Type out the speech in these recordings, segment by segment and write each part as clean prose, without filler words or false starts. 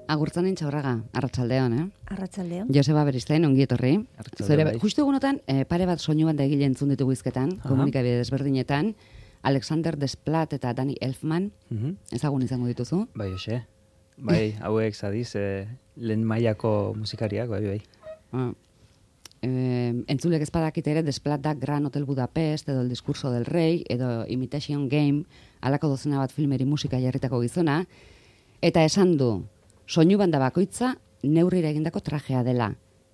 Agurtzanen Txaurraga, arratsaldeon, Arratsaldeon. Joseba Beristain, ongi etorri. Arratsaldeon, bai. Justu egunotan, pare bat soinu banda egile entzun ditugu hizketan, komunikabide desberdinetan, Alexander Desplat eta Danny Elfman, ezagun izango dituzu. Bai, hoxe. Bai, hauek zadiz, lehen mailako musikariak, bai. Entzulek ez badakite ere, Desplat da Gran Hotel Budapest, edo El Discurso del Rey, edo Imitation Game, alako dozena bat filmeri musika jarritako gizona, eta esan du, soinu banda bakoitza neurrira egindako trajea dela.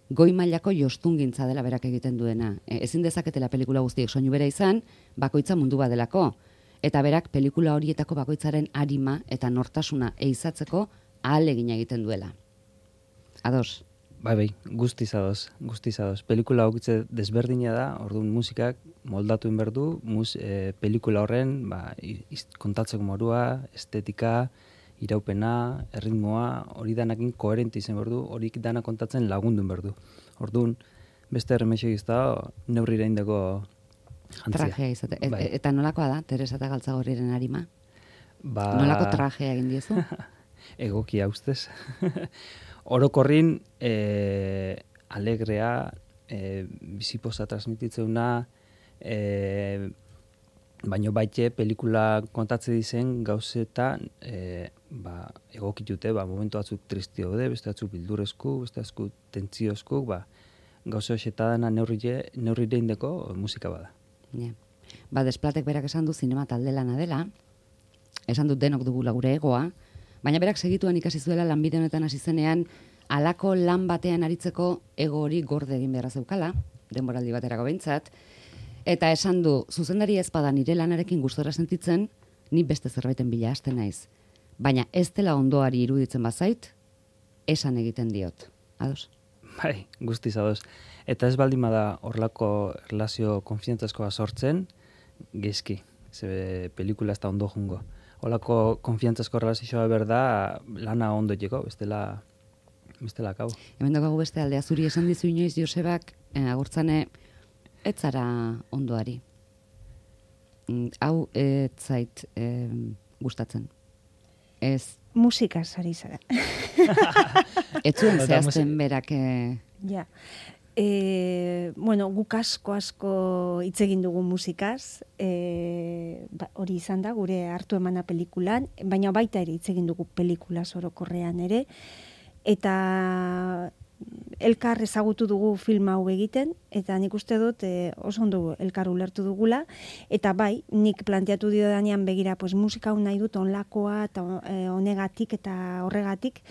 Goi mailako jostungintza dela berak egiten duena. Ezin dezaketela pelikula guztiek soinu bera izan, bakoitza mundu badelako. Eta berak pelikula horietako bakoitzaren arima eta nortasuna eizatzeko ahalegina egiten duela. Ados? Bai, guztiz ados. Pelikula hokitze desberdina da, orduan musikak moldatu inberdu, pelikula horren kontatzeko morua, estetika, iraupena, erritmoa, hori danakin koherente izan berdu, horik dana kontatzen lagundu berdu. Orduan, beste erremexo izta, neurrira indako jantzia. Trajea izate. Bai. Eta nolakoa da, Teresa eta Galtzagorriren arima? Nolako trajea egin diezu? Egokia ustez. Orokorrin, alegrea, bizipoza transmititzeuna, baino baite pelikula kontatze dizen gauzetan egokitute, momentu batzuk tristio daude, beste batzuk bildurrezku, beste batzuk tentziozku, gauze hoxetadana neurrire indeko musika bada. Desplatek berak esan du zinema talde lana dela, esan dut denok dugula gure egoa, baina berak segituan ikasi zuela lanbide honetan hasi zenean, halako lan batean aritzeko ego hori gorde egin beharra zeukala, denboraldi baterako behintzat, eta esan du, zuzendari ez bada nire lanarekin gustora sentitzen, ni beste zerbaiten bila hasten naiz. Baina ez dela ondoari iruditzen bazait, esan egiten diot. Ados? Bai, guztiz ados. Eta ez baldin bada horlako relazio konfiantzazkoa sortzen, gezki. Ze pelikula ez da ondo jungo. Horlako konfiantzazko relazioa berda, lana ondo jeko, bestela kau. Hemen dugu beste aldea zuri esan dizu inoiz Josebak, agurtzane, ez zara ondoari. Hau ez zait gustatzen. Ez. Musikaz ari zara. Ez zuen zehazten berak. Ja. Guk asko hitz egin dugu musikaz, hori izan da gure hartu emana pelikulan, baina baita ere hitz egin dugu pelikula orokorrean ere, eta elkar ezagutu dugu film hau egiten, eta nik uste dut oso ondo elkar ulertu dugula, eta bai, nik planteatu dio danean begira, musika hau nahi dut onlakoa, eta honegatik eta horregatik,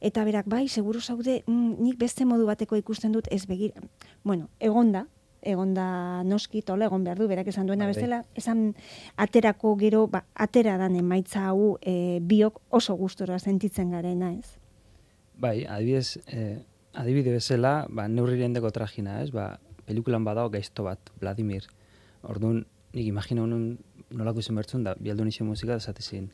eta berak bai, seguru zaude, nik beste modu bateko ikusten dut ez begira. Egonda noski, tola egon behar du, berak esan duena bestela, esan aterako gero, atera dan emaitza hau biok oso gustora sentitzen garena, ez? Bai, adibide bezala, neurriren deko trajina, ez? Pelikulan badao gaizto bat, Vladimir. Orduan, nik imagina honun nolako izan bertzun da, bialdu nixen musika da zatezin.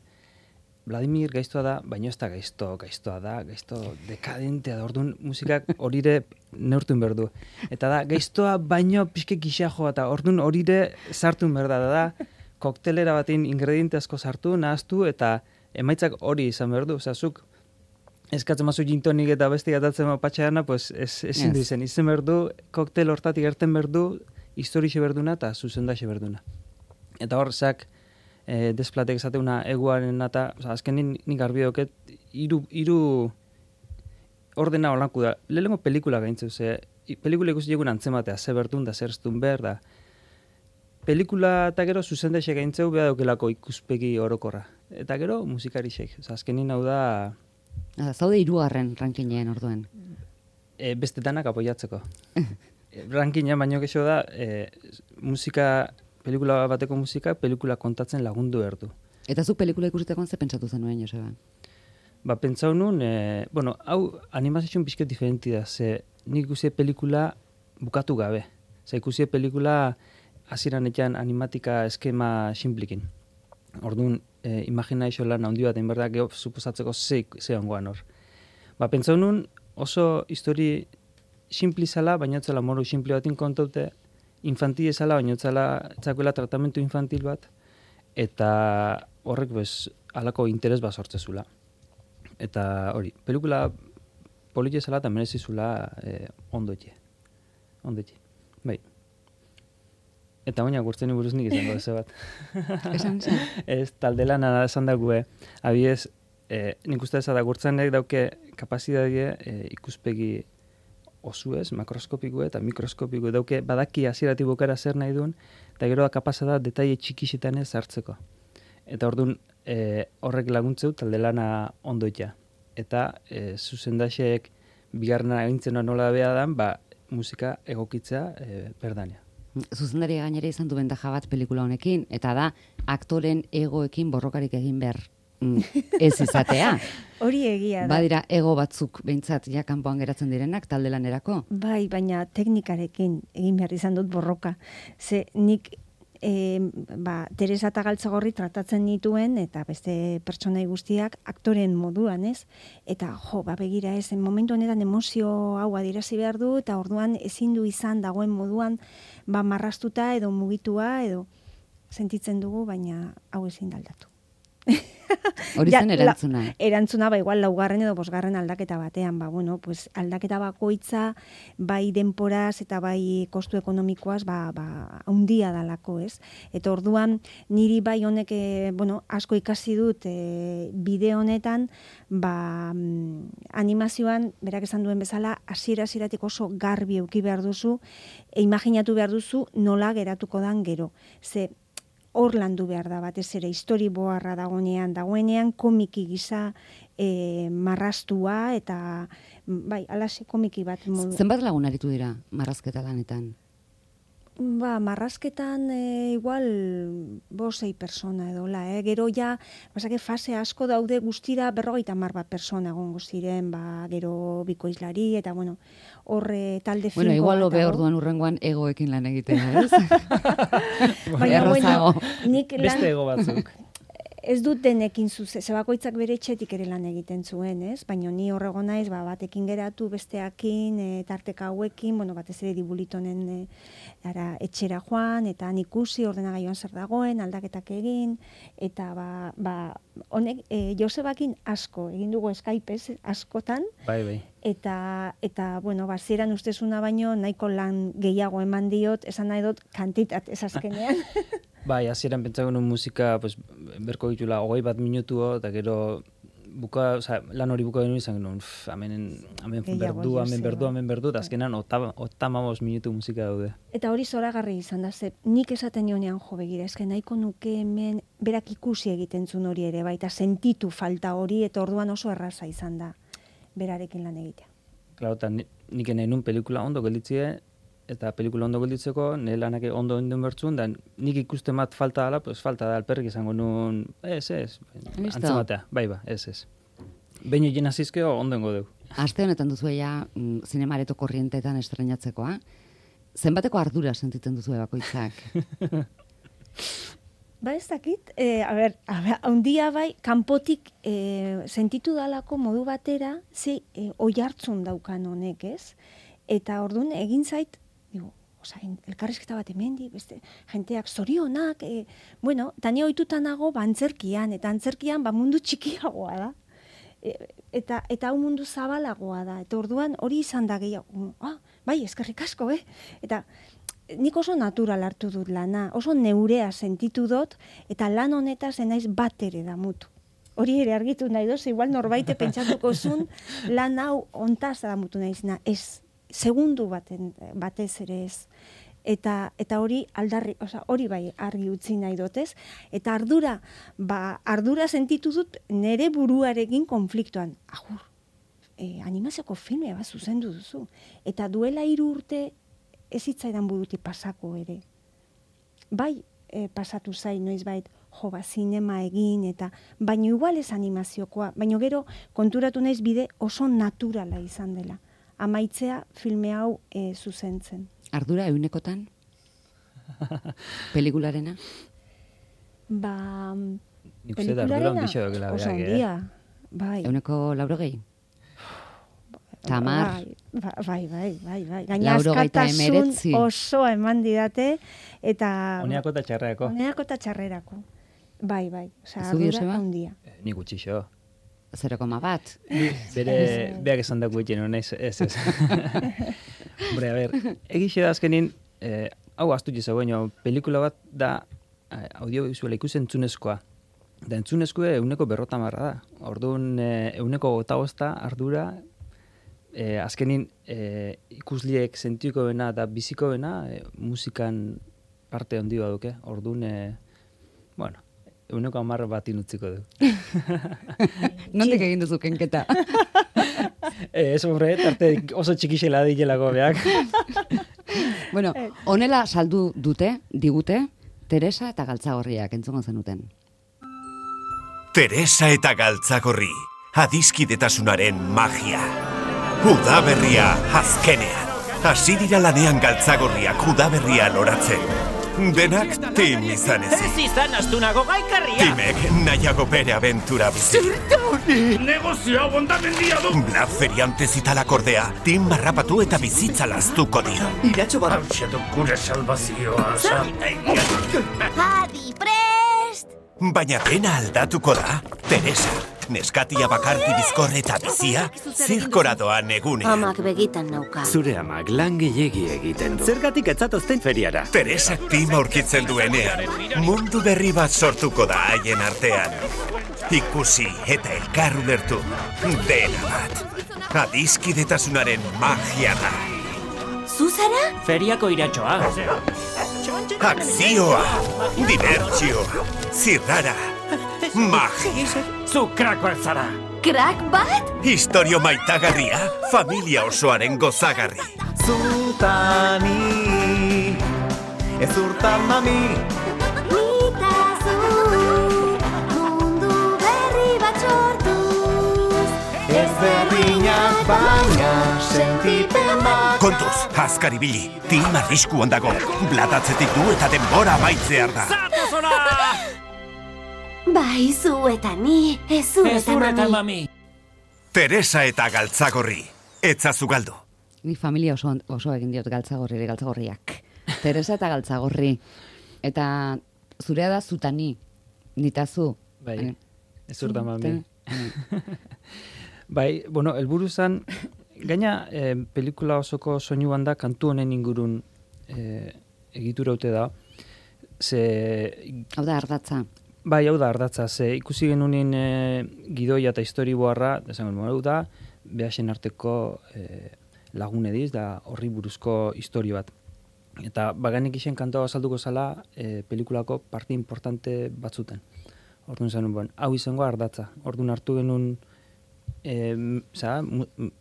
Vladimir gaiztoa da, baina ez da gaiztoa da, gaizto dekadentea da. Orduan, musikak horire neurtun berdu. Eta da, gaiztoa baino pixke gisa joa, eta orduan horire sartun berda da. Koktelera batin ingrediente asko sartu, nahaztu, eta emaitzak hori izan berdu. Zuk, eskatzen mazu gintonik eta besti gatatzen patxeana, ezin du izen berdu, koktel hortatik erten berdu, historixe berduna eta zuzendaxe berduna. Eta hor, Desplatek esateuna eguaren eta, azkenin nik garbi doket, hiru ordena holanku da. Lehenengo pelikula gaintzeu, pelikula ikusi egun antzematea, ze bertun da, zer estun behar da. Pelikula eta gero zuzendaxe gaintzeu behar daukelako ikuspegi orokorra. Eta gero musikarixek, azkenin hau da... Zaude 3. rankinean orduen. Beste danak apoiatzeko. Rankina baino gexo da, pelikula bateko musika, pelikula kontatzen lagundu erdu. Eta zuk pelikula ikusitekoan ze pentsatu zenuen, Joseba? Pentsau nun, hau animazioen pixket diferenti da, ze nik ikusi pelikula bukatu gabe. Ikusi pelikula hasieran etxan animatika eskema simplikin. Orduan, imaginazio lan handi bat, enberda, geho suposatzeko ze ongoan hor. Pentsau nun, oso histori simpli zala, baina etzela moru simpli batin kontaute, infantil ezala, baina etzakuela tratamentu infantil bat, eta horrek halako interes bat sortzezula. Eta hori, pelikula politxe zela eta merezizula ondo etxe. Bai. Eta oina gurtzen buruz nik izango ez bat. Esan zen? Ez, taldelana esan dagoe. Abiez, nik uste ez da gurtzenek dauke kapazidadie ikuspegi osuez, makroskopiko eta mikroskopiko dauke badaki hasieratik bukara zer nahi duen, eta gero da kapasa da detaile txikixetan ez hartzeko. Eta orduan horrek laguntzeu taldelana ondoitea. Eta zuzendaxeek bigarrena egintzen nola beha dan, musika egokitzea berdania. Zuzendari gainera izan du bentaja bat pelikula honekin, eta da aktoren egoekin borrokarik egin behar ez izatea. Hori egia da. Badira ego batzuk behintzat ja kanpoan geratzen direnak talde lanerako. Bai, baina teknikarekin egin behar izan dut borroka. Ze nik Teresa eta Galtzagorri tratatzen nituen, eta beste pertsonai guztiak aktoren moduan, ez? Eta begira ez, momentu honetan emozio hau adierazi behar du, eta orduan ezin du izan dagoen moduan marrastuta edo mugitua edo sentitzen dugu, baina hau ezin da aldatu. Hori zen erantzuna. Erantzuna, igual laugarren edo bosgarren aldaketa batean, aldaketa bakoitza, bai denporaz eta bai kostu ekonomikoaz, handia dalako, ez? Eta orduan, niri bai honek, asko ikasi dut bideo honetan, animazioan, berak esan duen bezala, hasieratik oso garbi eduki behar duzu, imaginatu behar duzu nola geratuko dan gero. Ze, hor landu behar da batez ere, storyboarra dagoenean komiki gisa marrastua eta alaxe komiki bat. Zenbat lagun aritu dira marrazketa lanetan? Marrazketan igual 5-6 persona edola, gero ja, fase asko daude guztira 50 bat persona egongo ziren, gero bikoizlari, eta horre talde finko. Igual hobe orduan urrengoan egoekin lan egitea, ez? Baina, nik beste ego batzuk. Ez dut denekin zebakoitzak bere etxetik ere lan egiten zuen, ez? Baina ni horrego naiz, batekin geratu, besteakin, tarteka hauekin, batez ere dibulitonen etxera joan, eta ikusi ordenagailuan zer dagoen, aldaketak egin, eta honek, Josebakin asko, egin dugu Skype, askotan, Bai. Eta zieran ustezuna baino, nahiko lan gehiago eman diot, esan nahi dut kantitat ez azkenean. Bai, hasieran pentsatzen nuen musika, berko ditula 20 minutu, eta gero lan hori buka genuen izan genuen, hemen berdu, eta azkenan 85 minutu musika daude. Eta hori zoragarri izan da, nik esaten nionean begira, esken nahiko nuke hemen berak ikusi egiten zuen hori ere, eta sentitu falta hori, eta orduan oso erraza izan da berarekin lan egitea. Claro, eta nik nahi nun pelikula ondo gelditzie, eta pelikula ondo gelditzeko, nire lanak ondo onden bertzun, da nik ikusten bat falta dela, falta da alperrik izango nun, ez, antzematea, ez. Behin egin azizkeo, ondengo deu. Aste honetan duzu zinemareto korrientetan estrenatzekoa, zenbateko ardura sentitzen duzu bakoitzak? Ez dakit, handia kanpotik sentitu dalako modu batera, oihartzun daukan honek, ez? Eta orduan egin zait, elkarrizketa bat hemendi, beste jenteak zorionak, eta ni ohituta nago antzerkian, eta antzerkian mundu txikiagoa da. Eta hau mundu zabalagoa da. Eta orduan hori izan da gehiago, eskerrik asko, Eta nik oso natural hartu dut lana, oso neurea sentitu dut, eta lan honetaz naiz bat ere damutu. Hori ere argitu nahi doz, igual norbaite pentsatuko zun, lan hau ontaz damutu naizena, ez. Segundu batez ere ez. Eta hori aldarri, hori bai argi utzi nahi dotez, eta ardura sentitu dut nere buruarekin konfliktoan. Animazioko filme bat zuzendu duzu. Eta duela 3 urte ez hitzaidan burutik pasako ere. Bai, pasatu zain noizbait, zinema egin, eta baino igual ez animaziokoa, baino gero konturatu naiz bide oso naturala izan dela. Amaitzea filme hau zuzentzen. Ardura eunekotan? Pelikularena? Nik uste da ardura ondixo dukela oso ondia. Euneko 80? Tamar? Bai. Gaina askatasun oso eman didate, eta... Oneako eta txarrerako. Oneako eta txarrerako. Bai. Ardura ondia. Nik utxixo. 0,1. Beak esan dago egin, naiz, ez. Hombre, a ber, egixe da azkenin, hau astu jizago, pelikula bat da audiovisuala ikusentzunezkoa. Da entzunezkoa 150 da. Orduan 150 ardura, azkenin ikusliek sentiko bena da biziko bena, musikan parte handi duke. Orduan, bueno, 110 bat inutziko du. Nondik egin duzu kenketa? Ez horre, tarte oso txikixela dilelago beak. Bueno, honela saldu digute, Teresa eta Galtzagorriak entzungo zenuten. Teresa eta Galtzagorri, adiskidetasunaren magia. Udaberria azkenean. Hasi dira lanean Galtzagorriak udaberria loratzen. Denak tim izan ezik. Ez izan astunago gaikarria. Timek nahiago bere abentura bizi. Negozioa bondamendia du. Black Feriante zitalak ordea, tim marrapatu eta bizitza laztuko dio. Iratxo bat. Hauxetu gure salvazioa. Adi, prest! Baina dena aldatuko da, Teresa. Neskatia bakarti bizkorre eta bizia, zirkora doan egunean. Amak begitan nauka. Zure amak lan gehiegi egiten du. Zergatik etzatozten feriara? Teresak tima aurkitzen duenean, mundu berri bat sortuko da haien artean. Ikusi eta elkar ulertu, dena bat. Adiskidetasunaren magia da. Zuzara? Feriako iratxoa. Akzioa, dibertsioa, zirrara, magia. Zu krakoak zara. Krak bat? Historio maitagarria, familia osoaren gozagarri. Zutani, ez urtan mami. Nitazu, mundu berri bat sortuz. Ez berdinak baina sentipen bat. Kontuz, azkari bili, tim arriskuan dago. Blatatzetik du eta denbora amaitzear da. Bai, zu eta ni, ez zu eta mami. Teresa eta Galtzagorri, etzazu galdu. Ni familia oso egin diot Galtzagorriak. Teresa eta Galtzagorri. Eta zurea da zutani, nitazu. Bai, ez urta mami. Bai, bueno, helburu zan, gaina pelikula osoko soinu banda kantu honen ingurun egitura haute da. Hau da ardatza. Bai, hau da ardatza. Ikusi genunin gidoia eta historiboarra, desango hau da, behasen arteko lagun ediz, da horri buruzko historio bat. Eta baganik isen kantoa azalduko zala pelikulako parte importante batzuten. Orduan zenun, hau izango ardatza. Orduan hartu genuen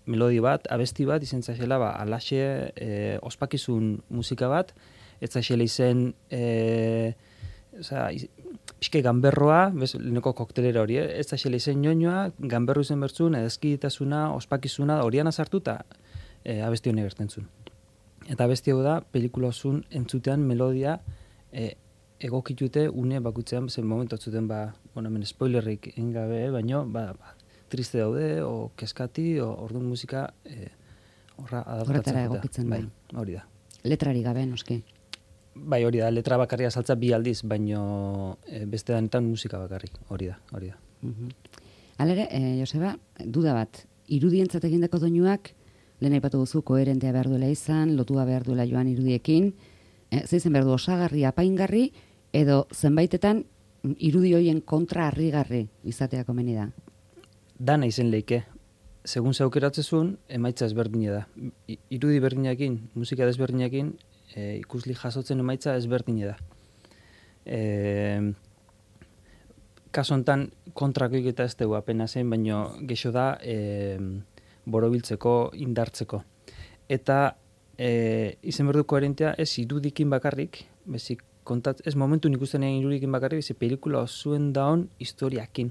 melodi bat, abesti bat, izen zaxela, alaxe ospakizun musika bat, ez zaxela izen pixke ganberroa, leheneko koktelera hori, ez zaxela izen nioinoa, ganberro izen bertzun, edezkiditasuna, ospakizuna, horian azartu eta abesti honek gertentzun. Eta abesti hau da, pelikula osun entzutean melodia egokitute une bakutzean, zen momentu atzuten, hemen spoilerrik engabe, baino, triste daude, o keskati, o orduan musika horra adaptatzen. Horretara egokitzen da. Bai, hori da. Letrari gabe, noski. Bai, hori da, letra bakarria saltza 2 aldiz, baino beste danetan musika bakarrik, hori da. Halere, Joseba, duda bat, irudientzat egindako doinuak, lehen aipatu duzu, koherentea behar duela izan, lotua behar duela joan irudiekin, zeizen behar du osagarri, apaingarri, edo zenbaitetan irudi hoien kontra harrigarri izatea komeni da. Dana izen leike. Segun zeukeratzezun, emaitza ezberdine da. Irudi berdinakin, musika desberdinakin, ikusli jasotzen emaitza ezberdine da. Kaso hontan kontrakoik eta ez dugu apena zen, baino gexo da borobiltzeko, indartzeko. Eta izen berdu koherentea ez irudikin bakarrik, bezik ez momentu ikusten egin irudikin bakarrik, bezik pelikula osuen daon historiakin.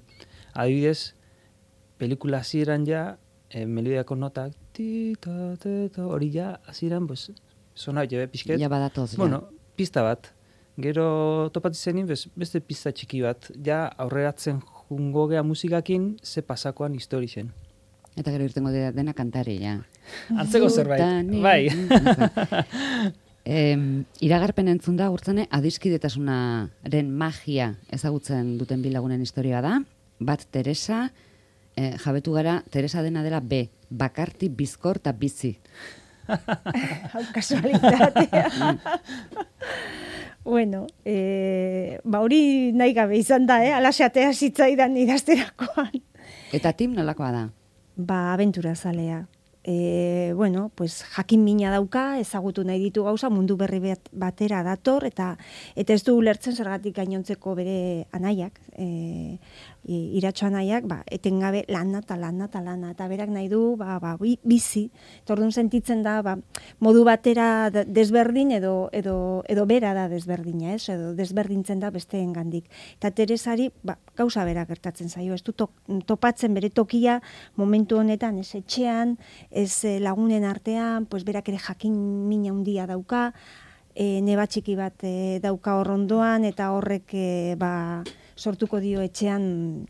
Adibidez, pelikula hasieran ja, melodiako notak, hori ja, hasieran, sona jebe pixket. Ja badatoz, ja. Bueno, pista bat. Gero topatu zenin, beste pista txiki bat. Ja, aurreratzen jungo gea musikakin, ze pasakoan histori zen. Eta gero irtengo dena kantari, ja. Antzeko zerbait, bai. Iragarpen entzun da, urtzane, adiskidetasunaren magia ezagutzen duten bilagunen historia da. Bat Teresa, jabetu gara, Teresa dena dela B, bakarti, bizkor eta bizi. Hau kasualitatea. Bueno, hori nahi gabe izan da, alaxatea zitzaidan idazterakoan. Eta Tim nolakoa da? Abentura zalea. Bueno, pues jakin mina dauka, ezagutu nahi ditu gauza, mundu berri batera dator, eta ez du ulertzen zergatik gainontzeko bere anaiak, Iratxo anaiak, etengabe lana, eta berak nahi du, bizi, eta orduan sentitzen da, modu batera desberdin edo bera da desberdina, edo desberdintzen da besteen gandik. Eta Teresari, gauza bera gertatzen zaio, ez du topatzen bere tokia momentu honetan, ez etxean, ez lagunen artean, pues berak ere jakin mina handia dauka, neba txiki bat dauka horrondoan, eta horrek sortuko dio etxean,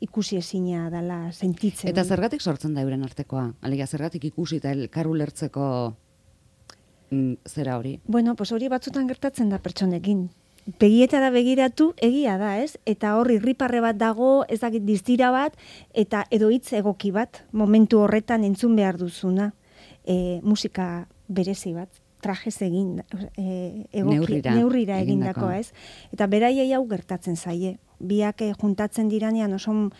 ikusi ezina dela sentitzen. Eta zergatik sortzen da euren artekoa? Alegia, zergatik ikusi eta elkar ulertzeko zera hori? Bueno, pues hori batzutan gertatzen da pertsonekin. Begietara begiratu, egia da, ez? Eta hor irriparre bat dago, ez dakit distira bat, eta edo hitz egoki bat, momentu horretan entzun behar duzuna, musika berezi bat, trajez egin, neurrira egindakoa, ez? Eta beraiei hau gertatzen zaie. Biak juntatzen diranean oso,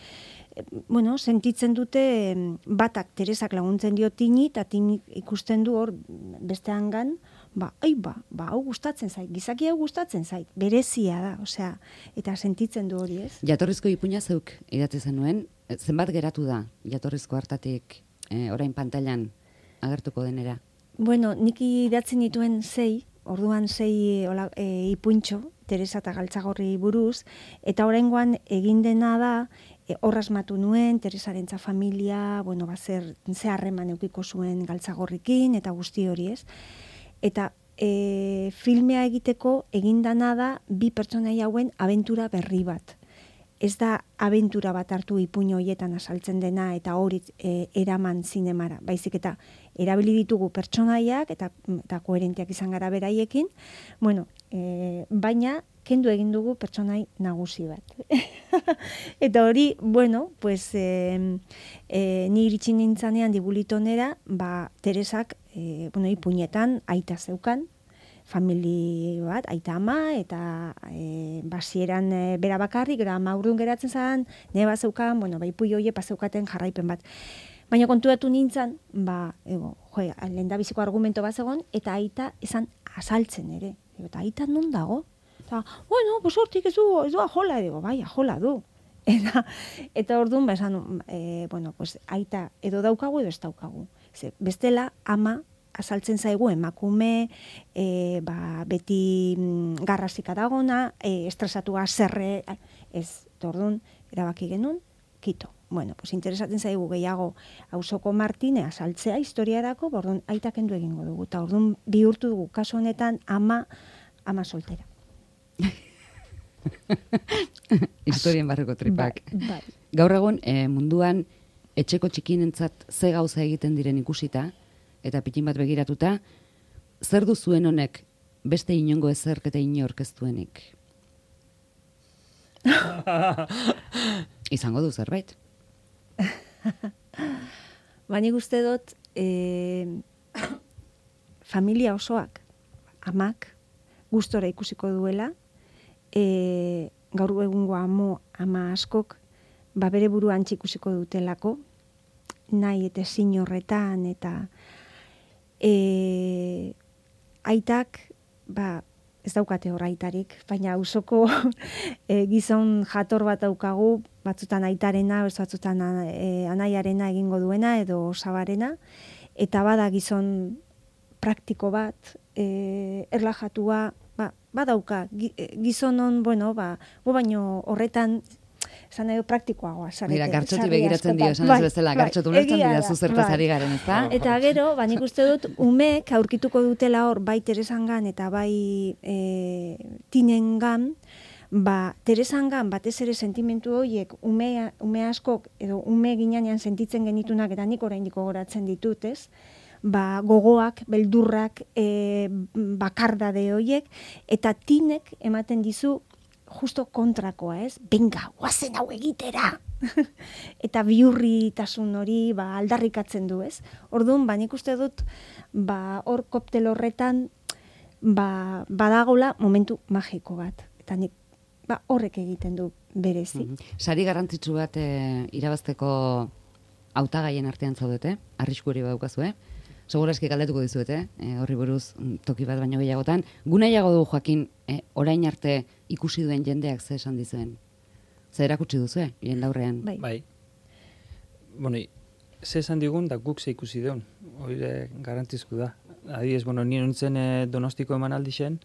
sentitzen dute batak Teresak laguntzen dio Tini, eta Tini ikusten du hor besteangan, hau gustatzen zait, gizaki hau gustatzen zait, berezia da, osea, eta sentitzen du hori, ez? Jatorrizko ipuina zeuk idatzi zenuen, zenbat geratu da jatorrizko hartatik orain pantailan agertuko denera? Bueno, nik idatzen dituen 6, orduan 6 ipuintxo, Teresa eta Galtzagorri buruz, eta oraingoan egin dena da, hor asmatu nuen, Teresarentza familia, ze harreman eukiko zuen Galtzagorrikin, eta guzti hori, ez? Eta filmea egiteko egindana da 2 pertsonai hauen abentura berri bat. Ez da abentura bat hartu ipuño hoietan azaltzen dena eta hori eraman zinemara. Baizik eta erabili ditugu pertsonaiak eta koherentiak izan gara beraiekin, baina kendu egin dugu pertsonai nagusi bat. Eta hori, ni iritsi nintzanean Dibulitonera, Teresak, ipuñetan aita zeukan, famili bat, aita ama, eta basieran bera bakarrik, gara ama urrun geratzen zen, neba zeukan, ipui hoie zeukaten jarraipen bat. Baina kontuatu nintzen, lehendabiziko argumento bat zegoen, eta aita esan azaltzen ere. Eta aita non dago? Eta, hortik ez du ajola, ajola du. Eta orduan, esan, aita edo daukagu edo ez daukagu. Bestela, ama azaltzen zaigu emakume, beti garrasika dagona, estresatua zerre, ez, orduan, erabaki genuen, kito. Interesatzen zaigu gehiago auzoko Martine azaltzea historiarako, orduan aita kendu egingo dugu. Eta orduan bihurtu dugu, kasu honetan, ama soltera. Historien barreko tripak. Bai. Gaur egun munduan etxeko txikinentzat ze gauza egiten diren ikusita, eta pitin bat begiratuta, zer du zuen honek beste inongo ezerk eta inork ez duenik? Izango du zerbait. Nik uste dut familia osoak, amak, gustora ikusiko duela, gaur egungo ama askok, bere buruan ikusiko dutelako, nahi eta ezin horretan, eta aitak, ez daukate hor aitarik, baina auzoko gizon jator bat daukagu, batzutan aitarena, batzutan anaiarena egingo duena, edo osabarena, eta bada gizon praktiko bat, erlajatua, badauka, gizonon, baino horretan, esan nahi praktikoagoa. Mira, gartxoti begiratzen dio, esan ez bezala, gartxotu ulertzen dira zuzertaz ari garen, ez da? Eta gero, nik uste dut, umeek aurkituko dutela hor, bai Teresangan eta bai Tinengan, Teresangan batez ere sentimentu horiek ume askok, edo ume ginanean sentitzen genitunak, eta nik oraindik gogoratzen ditut, ez? Gogoak, beldurrak, bakardade horiek, eta Tinek ematen dizu justo kontrakoa, ez? Benga, guazen hau egitera! eta bihurritasun hori aldarrikatzen du, ez? Orduan, nik uste dut, hor koktel horretan, badagola momentu magiko bat. Eta nik, horrek egiten du berezi. Sari garrantzitsu bat irabazteko hautagaien artean zaudete, arrisku hori badaukazu, Segurazki galdetuko dizuete, horri buruz toki bat baino gehiagotan. Gunaiago du Joakin, orain arte ikusi duen jendeak ze esan dizuen. Ze erakutsi duzu, jende aurrean. Bai. Bueno, ze esan digun da guk ze ikusi deun. Hori garrantzizko da. Adibidez, ni nintzen Donostiko emanaldi zen,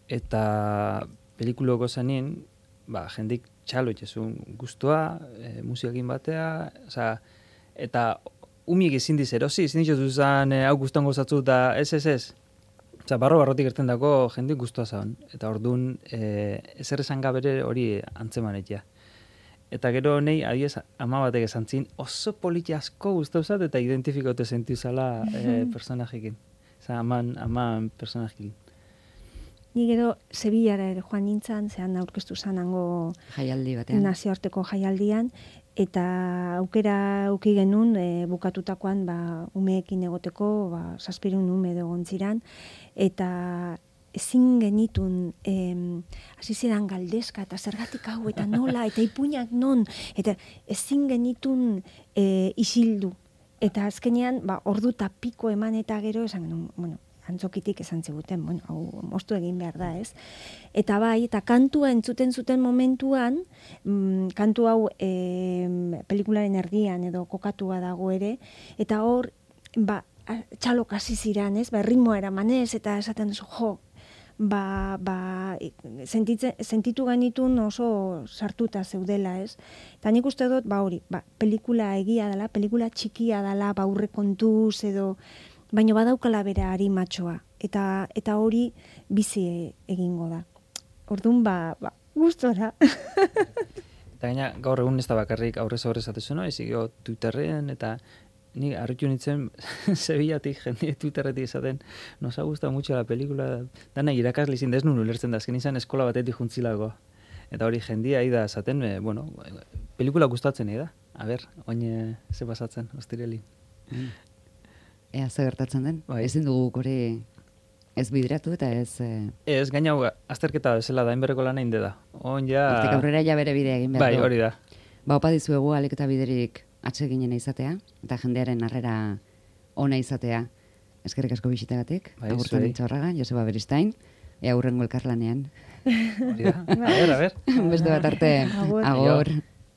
eta pelikuloko zanien, jendik txalo itxezun guztua, musikakin batea, eta umik ezin diz erosi, ezin dituz zuzan hau guztuan gozatzu, eta ez. Barrotik erten dako jendik guztua zaun. Eta orduan, ezer esan gabere hori antzemanetia. Eta gero nahi, adiez, ama batek esan zin, oso politi asko guztau zat, eta identifikote sentiu zala personajekin. Aman personajekin. Ni gero Sevillara ere joan nintzen, zehan aurkeztu zanango jaialdi batean. Nazioarteko jaialdian, eta aukera uki genuen bukatutakoan umeekin egoteko, 700 ume egon ziren, eta ezin genitun hasi ziren galdezka, eta zergatik hau, eta nola, eta ipuinak non, eta ezin genitun isildu. Eta azkenean, ordu eta piko eman eta gero, esan genuen, antzokitik esan ziguten, hau moztu egin behar da, ez? Eta eta kantua entzuten zuten momentuan, kantu hau pelikularen erdian edo kokatua dago ere, eta hor, txalok hasi ziren, ez? Ritmoa eramanez, eta esaten duzu, sentitu genitun oso sartuta zeudela, ez? Eta nik uste dut, hori, pelikula egia dela, pelikula txikia dela, aurre kontuz edo, baina badaukala bera harimatxoa, eta hori bizi egingo da. Orduan, gustora. Eta gaina, gaur egun ez da bakarrik aurrez atezu, ezik Twitterren, eta ni harritu nintzen Sevillatik, jende Twitterretik esaten, nos ha gustado mucho la película, dana irakasle izin da ez nun ulertzen da, azken izan eskola batetik juntzilako. Eta hori jendia da esaten, pelikula gustatzen da. A ber, oin ze pasatzen, ostireli. Ea ze gertatzen den, ezin dugu hori ez bideratu eta ez... Ez, gaina azterketa bezala da, enberreko lan egin da. Hortik aurrera ja bere bidea egin behar du. Bai, hori da. Opa dizuegu alik eta biderik atseginen izatea, eta jendearen harrera ona izatea. Eskerrik asko bisitagatik, agurtan Intxaurraga, Joseba Beristain, ea hurrengo elkarlanean. Hori da, a ver. Beste bat arte, agur.